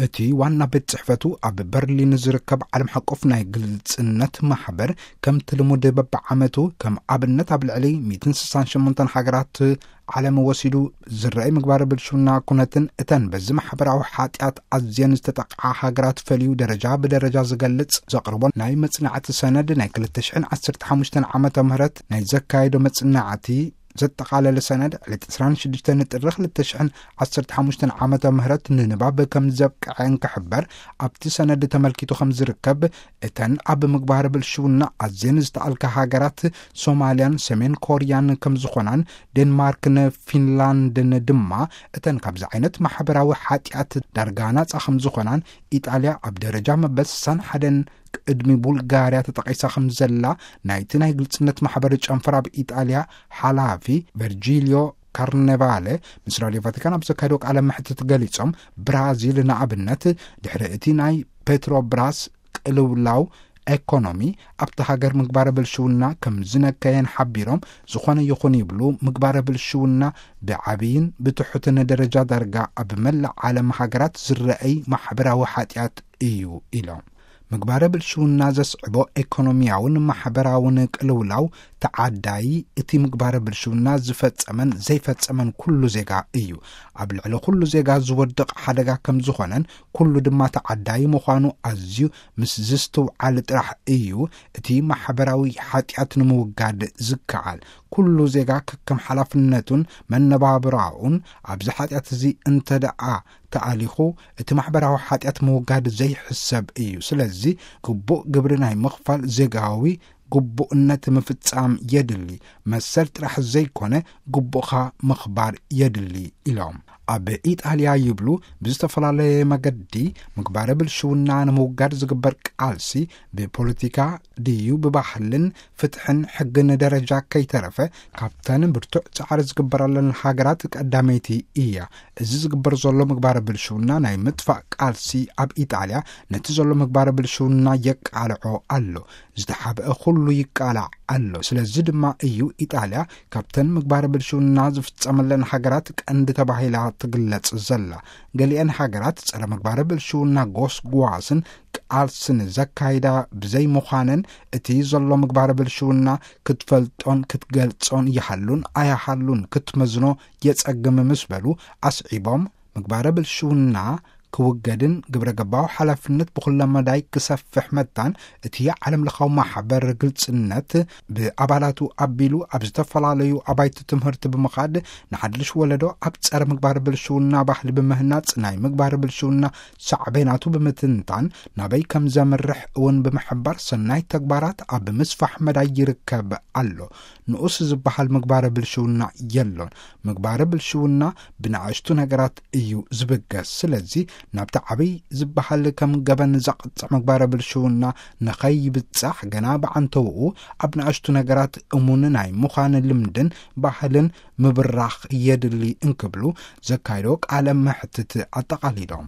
እቲ ዋና ቤት ጽሕፈቱ ኣብ በርሊን ዝርከብ ዓለም ሓቆፍ ናይ ግልጽነት ማሕበር፣ ከምቲ ልሙድ በብዓመቱ፣ ከም ኣብነት ኣብ ልዕሊ ሚእትን ስሳን ሸሞንተን ሃገራት ዓለም ወሲዱ ዝረኣይ ምግባረ ብልሽውና ኩነትን እተን በዚ ማሕበራዊ ሓጢኣት ኣዝየን ዝተጠቕዓ ሃገራት ፈልዩ ደረጃ ብደረጃ ዝገልጽ ዘቕርቦ ናይ መጽናዕቲ ሰነድ፣ ናይ ክልተ ሽሕን ዓሰርተ ሓሙሽተን ዓመተ ምህረት ናይ ዘካየዶ መጽናዕቲ ዘጠቓለለ ሰነድ፣ ዕለት ዕስራን ሽዱሽተን ጥሪ ክልተ ሽሕን ዓሰርተ ሓሙሽተን ዓመተ ምህረት ንንባብ ከም ዘብቅዐ እንክሕበር፣ ኣብቲ ሰነድ ተመልኪቱ ከም ዝርከብ፣ እተን ኣብ ምግባር ብልሽውና ኣዝየን ዝተኣልካ ሃገራት ሶማልያን ሰሜን ኮርያን ከም ዝኾናን፣ ዴንማርክን ፊንላንድን ድማ እተን ካብዚ ዓይነት ማሕበራዊ ሓጢኣት ዳርጋ ናጻ ከም ዝኾናን፣ ኢጣልያ ኣብ ደረጃ መበል ስሳን ሓደን ቅድሚ ቡልጋርያ ተጠቒሳ ከም ዘላ ናይቲ ናይ ግልጽነት ማሕበር ጨንፈር ኣብ ኢጣልያ ሓላፊ ቨርጂልዮ ካርኔቫለ ምስ ራድዮ ቫቲካን ኣብ ዘካየዶ ቃለ መሕትት ገሊጾም፣ ብራዚል ንኣብነት ድሕሪ እቲ ናይ ፔትሮብራስ ቅልውላው ኤኮኖሚ ኣብቲ ሃገር ምግባረ ብልሽውና ከም ዝነከየን ሓቢሮም፣ ዝኾነ ይኹን ይብሉ ምግባረ ብልሽውና ብዓብይን ብትሑትን ደረጃ ዳርጋ ኣብ መላእ ዓለም ሃገራት ዝረኣይ ማሕበራዊ ሓጢኣት እዩ ኢሎም። ምግባረ ብልሽውና ዘስዕቦ ኤኮኖሚያውን ማሕበራውን ቅልውላው ተዓዳዪ እቲ ምግባረ ብልሽውና ዝፈጸመን ዘይፈጸመን ኩሉ ዜጋ እዩ። ኣብ ልዕሊ ኩሉ ዜጋ ዝወድቕ ሓደጋ ከም ዝኾነን ኩሉ ድማ ተዓዳዪ ምዃኑ ኣዝዩ ምስ ዝስትውዓል ጥራሕ እዩ እቲ ማሕበራዊ ሓጢኣት ንምውጋድ ዝከኣል። ኩሉ ዜጋ ከከም ሓላፍነቱን መነባብራኡን ኣብዚ ሓጢኣት እዚ እንተ ደኣ ተኣሊኹ፣ እቲ ማሕበራዊ ሓጢኣት ምውጋድ ዘይሕሰብ እዩ። ስለዚ ግቡእ ግብሪ ናይ ምኽፋል ዜጋዊ ግቡእነት ምፍጻም የድሊ። መሰል ጥራሕ ዘይኮነ፣ ግቡእኻ ምኽባር የድሊ ኢሎም። ኣብ ኢጣልያ ይብሉ፣ ብዝተፈላለየ መገዲ ምግባረ ብልሽውና ንምውጋድ ዝግበር ቃልሲ ብፖለቲካ ድዩ ብባህልን ፍትሕን ሕግን ደረጃ ከይተረፈ ካብተን ብርቱዕ ጻዕሪ ዝግበረለን ሃገራት ቀዳመይቲ እያ። እዚ ዝግበር ዘሎ ምግባረ ብልሽውና ናይ ምጥፋእ ቃልሲ ኣብ ኢጣልያ ነቲ ዘሎ ምግባረ ብልሽውና የቃልዖ ኣሎ። ዝተሓብአ ኩሉ ይቃላዕ ኣሎ። ስለዚ ድማ እዩ ኢጣልያ ካብተን ምግባረ ብልሽውና ዝፍጸመለን ሃገራት ቀንዲ ተባሂላ ትግለጽ ዘላ። ገሊአን ሃገራት ጸረ ምግባረ ብልሽውና ጎስጓስን ቃልስን ዘካይዳ ብዘይምዃነን፣ እቲ ዘሎ ምግባረ ብልሽውና ክትፈልጦን ክትገልጾን ይሃሉን ኣይሃሉን ክትመዝኖ የጸግም ምስ በሉ ኣስዒቦም፣ ምግባረ ብልሽውና ክውገድን ግብረ ገባዊ ሓላፍነት ብኹለ መዳይ ክሰፍሕ መታን እቲ ዓለም ለኻዊ ማሕበር ግልጽነት ብኣባላቱ ኣቢሉ ኣብ ዝተፈላለዩ ኣባይቲ ትምህርቲ ብምኻድ ንሓድሽ ወለዶ ኣብ ጸረ ምግባር ብልሽውና ባህሊ ብምህናጽ ናይ ምግባር ብልሽውና ሳዕቤናቱ ብምትንታን ናበይ ከም ዘምርሕ እውን ብምሕባር ሰናይ ተግባራት ኣብ ምስፋሕ መዳይ ይርከብ ኣሎ። ንኡስ ዝበሃል ምግባረ ብልሽውና የሎን። ምግባረ ብልሽውና ብንኣሽቱ ነገራት እዩ ዝብገስ። ስለዚ ናብቲ ዓብይ ዝበሃል ከም ገበን ዘቕጽዕ ምግባረ ብልሽውና ንኸይብጻሕ ገና ብዓንተውኡ ኣብ ንኣሽቱ ነገራት እሙን ናይ ምዃን ልምድን ባህልን ምብራኽ የድሊ እንክብሉ ዘካይዶ ቃለ መሕትት ኣጠቓሊሎም።